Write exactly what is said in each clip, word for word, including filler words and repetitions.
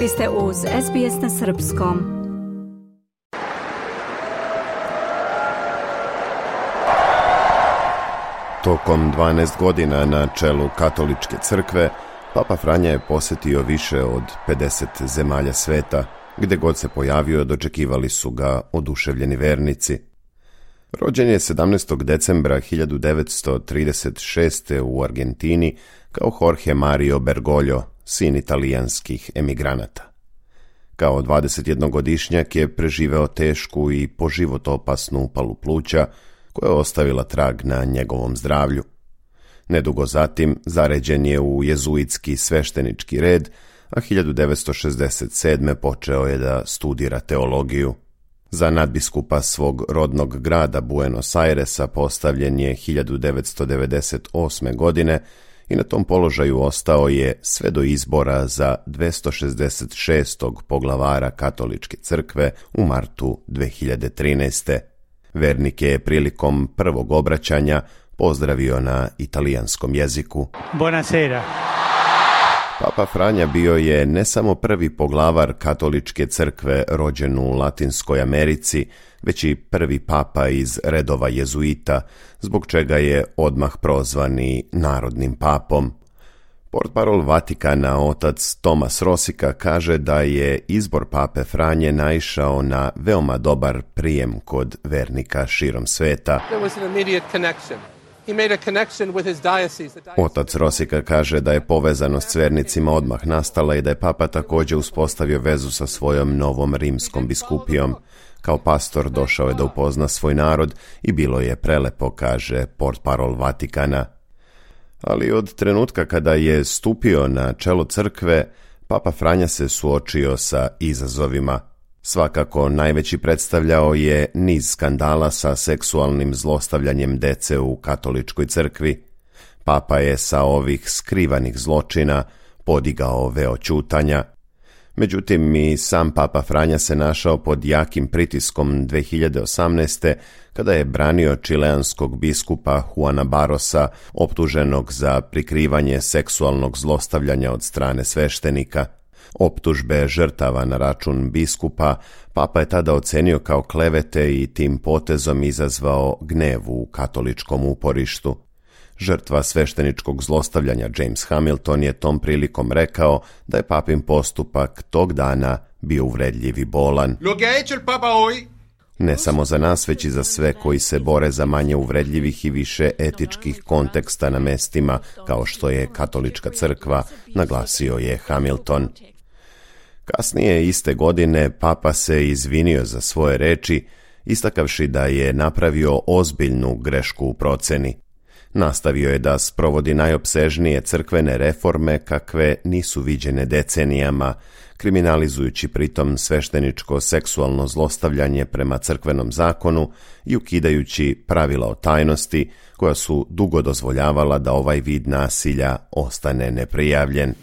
Vi ste uz S B S na srpskom. Tokom dvanaest godina na čelu katoličke crkve, Papa Franja je posjetio više od pedeset zemalja sveta, gdje god se pojavio dočekivali su ga oduševljeni vernici. Rođen je sedamnaestog decembra hiljadu devetsto trideset šeste. u Argentini kao Jorge Mario Bergoglio, sin italijanskih emigranata. Kao dvadesetjednogodišnjak je preživeo tešku i po život opasnu upalu pluća, koja je ostavila trag na njegovom zdravlju. Nedugo zatim zaređen je u jezuitski sveštenički red, a hiljadu devetsto šezdeset sedme. počeo je da studira teologiju. Za nadbiskupa svog rodnog grada Buenos Airesa postavljen je hiljadu devetsto devedeset osme. godine i na tom položaju ostao je sve do izbora za dvjesto šezdeset šestog poglavara katoličke crkve u martu dve hiljade trinaeste. Vernike je prilikom prvog obraćanja pozdravio na italijanskom jeziku. Buonasera. Papa Franja bio je ne samo prvi poglavar katoličke crkve rođen u Latinskoj Americi, već i prvi papa iz redova jezuita, zbog čega je odmah prozvan i narodnim papom. Portparol Vatikana, otac Tomas Rosika, kaže da je izbor pape Franje naišao na veoma dobar prijem kod vernika širom sveta. Otac Rosika kaže da je povezanost s vernicima odmah nastala i da je papa također uspostavio vezu sa svojom novom rimskom biskupijom. Kao pastor došao je da upozna svoj narod i bilo je prelepo, kaže portparol Vatikana. Ali od trenutka kada je stupio na čelo crkve, Papa Franja se suočio sa izazovima. Svakako najveći predstavljao je niz skandala sa seksualnim zlostavljanjem dece u katoličkoj crkvi. Papa je sa ovih skrivanih zločina podigao veo ćutanja. Međutim, i sam Papa Franja se našao pod jakim pritiskom dve hiljade osamnaeste. kada je branio čileanskog biskupa Juana Barrosa, optuženog za prikrivanje seksualnog zlostavljanja od strane sveštenika. Optužbe žrtava na račun biskupa Papa je tada ocenio kao klevete i tim potezom izazvao gnev u katoličkom uporištu. Žrtva svešteničkog zlostavljanja James Hamilton je tom prilikom rekao da je papin postupak tog dana bio uvredljiv i bolan. Ne samo za nas, već i za sve koji se bore za manje uvredljivih i više etičkih konteksta na mestima, kao što je katolička crkva, naglasio je Hamilton. Kasnije iste godine Papa se izvinio za svoje reči, istakavši da je napravio ozbiljnu grešku u proceni. Nastavio je da sprovodi najopsežnije crkvene reforme kakve nisu viđene decenijama, kriminalizujući pritom svešteničko seksualno zlostavljanje prema crkvenom zakonu i ukidajući pravila o tajnosti koja su dugo dozvoljavala da ovaj vid nasilja ostane neprijavljen.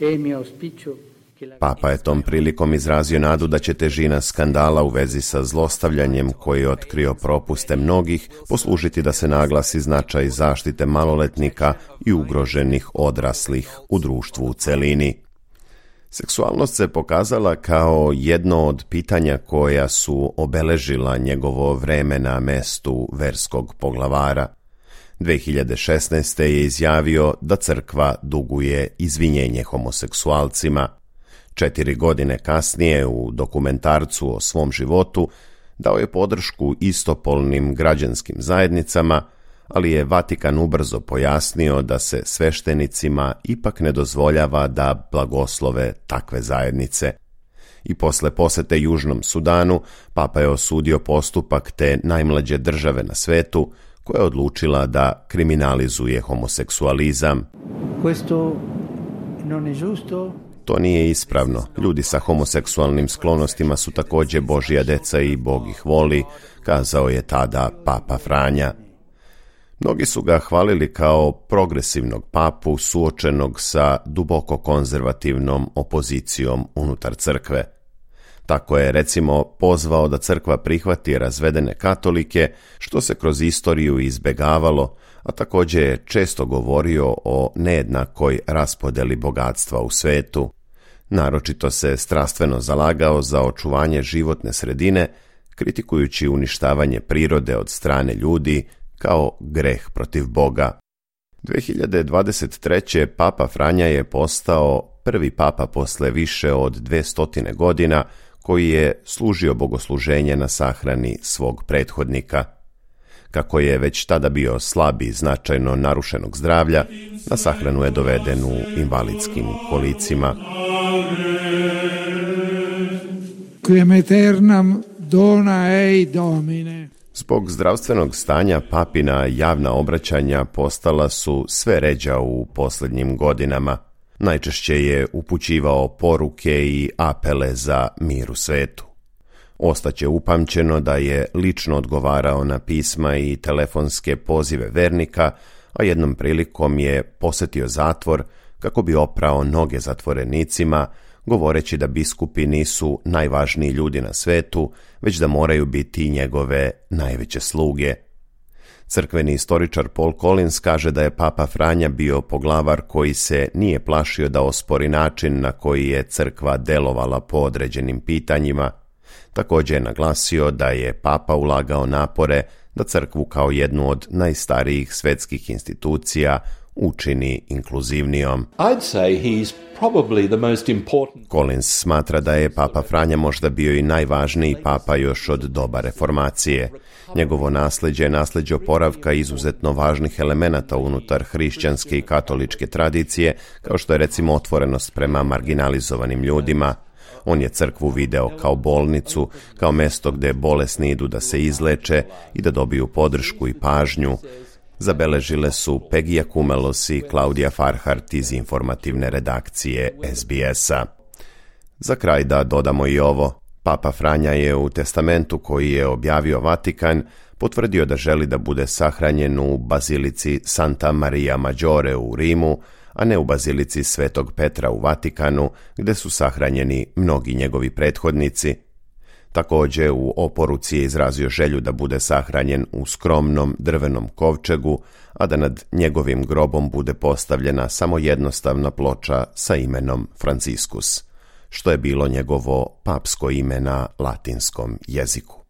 Papa je tom prilikom izrazio nadu da će težina skandala u vezi sa zlostavljanjem koji je otkrio propuste mnogih poslužiti da se naglasi značaj zaštite maloletnika i ugroženih odraslih u društvu u celini. Seksualnost se pokazala kao jedno od pitanja koja su obeležila njegovo vreme na mestu verskog poglavara. dve hiljade šesnaeste. je izjavio da crkva duguje izvinjenje homoseksualcima. Četiri godine kasnije u dokumentarcu o svom životu dao je podršku istopolnim građanskim zajednicama, ali je Vatikan ubrzo pojasnio da se sveštenicima ipak ne dozvoljava da blagoslove takve zajednice. I posle posete Južnom Sudanu, Papa je osudio postupak te najmlađe države na svetu, koja je odlučila da kriminalizuje homoseksualizam. Questo non è giusto. To nije ispravno. Ljudi sa homoseksualnim sklonostima su također Božja deca i Bog ih voli, kazao je tada Papa Franja. Mnogi su ga hvalili kao progresivnog papu suočenog sa duboko konzervativnom opozicijom unutar crkve. Tako je, recimo, pozvao da crkva prihvati razvedene katolike, što se kroz istoriju izbegavalo, a također je često govorio o nejednakoj raspodeli bogatstva u svetu. Naročito se strastveno zalagao za očuvanje životne sredine, kritikujući uništavanje prirode od strane ljudi kao greh protiv Boga. dvije hiljade dvadeset treće. Papa Franja je postao prvi papa posle više od dvestotine godina koji je služio bogosluženje na sahrani svog prethodnika. Kako je već tada bio slab i značajno narušenog zdravlja, na sahranu je doveden u invalidskim kolicima. Quem aeternam dona ei Domine. Zbog zdravstvenog stanja papina javna obraćanja postala su sve ređa u posljednjim godinama. Najčešće je upućivao poruke i apele za mir u svetu. Ostaće upamćeno da je lično odgovarao na pisma i telefonske pozive vernika, a jednom prilikom je posjetio zatvor kako bi oprao noge zatvorenicima, govoreći da biskupi nisu najvažniji ljudi na svetu, već da moraju biti njegove najveće sluge. Crkveni istoričar Paul Collins kaže da je Papa Franja bio poglavar koji se nije plašio da ospori način na koji je crkva delovala po određenim pitanjima. Također je naglasio da je Papa ulagao napore da crkvu kao jednu od najstarijih svetskih institucija učini inkluzivnijom. I'd say he's probably the most important. Collins smatra da je Papa Franja možda bio i najvažniji papa još od doba reformacije. Njegovo nasljeđe je nasljeđe oporavka izuzetno važnih elemenata unutar hrišćanske i katoličke tradicije, kao što je recimo otvorenost prema marginalizovanim ljudima. On je crkvu video kao bolnicu, kao mesto gdje bolesni idu da se izleče i da dobiju podršku i pažnju. Zabeležile su Pegija Kumelos i Klaudija Farhart iz informativne redakcije S B S-a. Za kraj da dodamo i ovo. Papa Franja je u testamentu koji je objavio Vatikan potvrdio da želi da bude sahranjen u bazilici Santa Maria Maggiore u Rimu, a ne u bazilici Svetog Petra u Vatikanu, gdje su sahranjeni mnogi njegovi prethodnici. Također u oporuci je izrazio želju da bude sahranjen u skromnom drvenom kovčegu, a da nad njegovim grobom bude postavljena samo jednostavna ploča sa imenom Franciscus, što je bilo njegovo papsko ime na latinskom jeziku.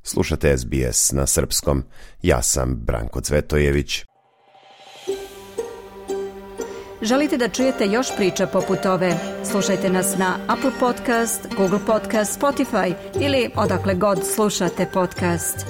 Slušate S B S na srpskom. Ja sam Branko Cvetojević. Želite da čujete još priča poput ove? Slušajte nas na Apple Podcast, Google Podcast, Spotify ili odakle god slušate podcast.